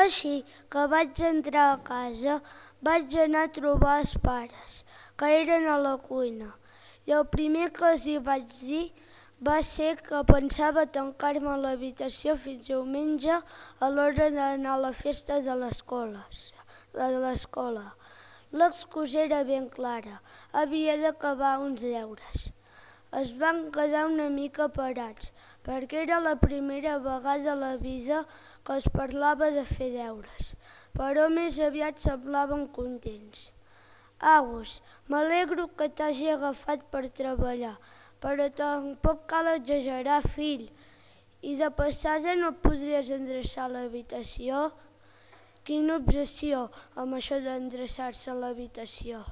Així que vaig entrar a casa, vaig anar a trobar els pares, que eren a la cuina, i el primer que els hi vaig dir va ser que pensava tancar-me a l'habitació fins diumenge a l'hora d'anar a la festa de l'escola. L'excusa era ben clara, havia d'acabar uns deures. Es van quedar una mica parats, perquè era la primera vegada a la vida que es parlava de fer deures, però més aviat semblaven contents. Agus, m'alegro que t'hagi agafat per treballar, però tampoc cal exagerar, fill. I de passada no podries endreçar l'habitació? Quina obsessió amb això d'endreçar-se l'habitació.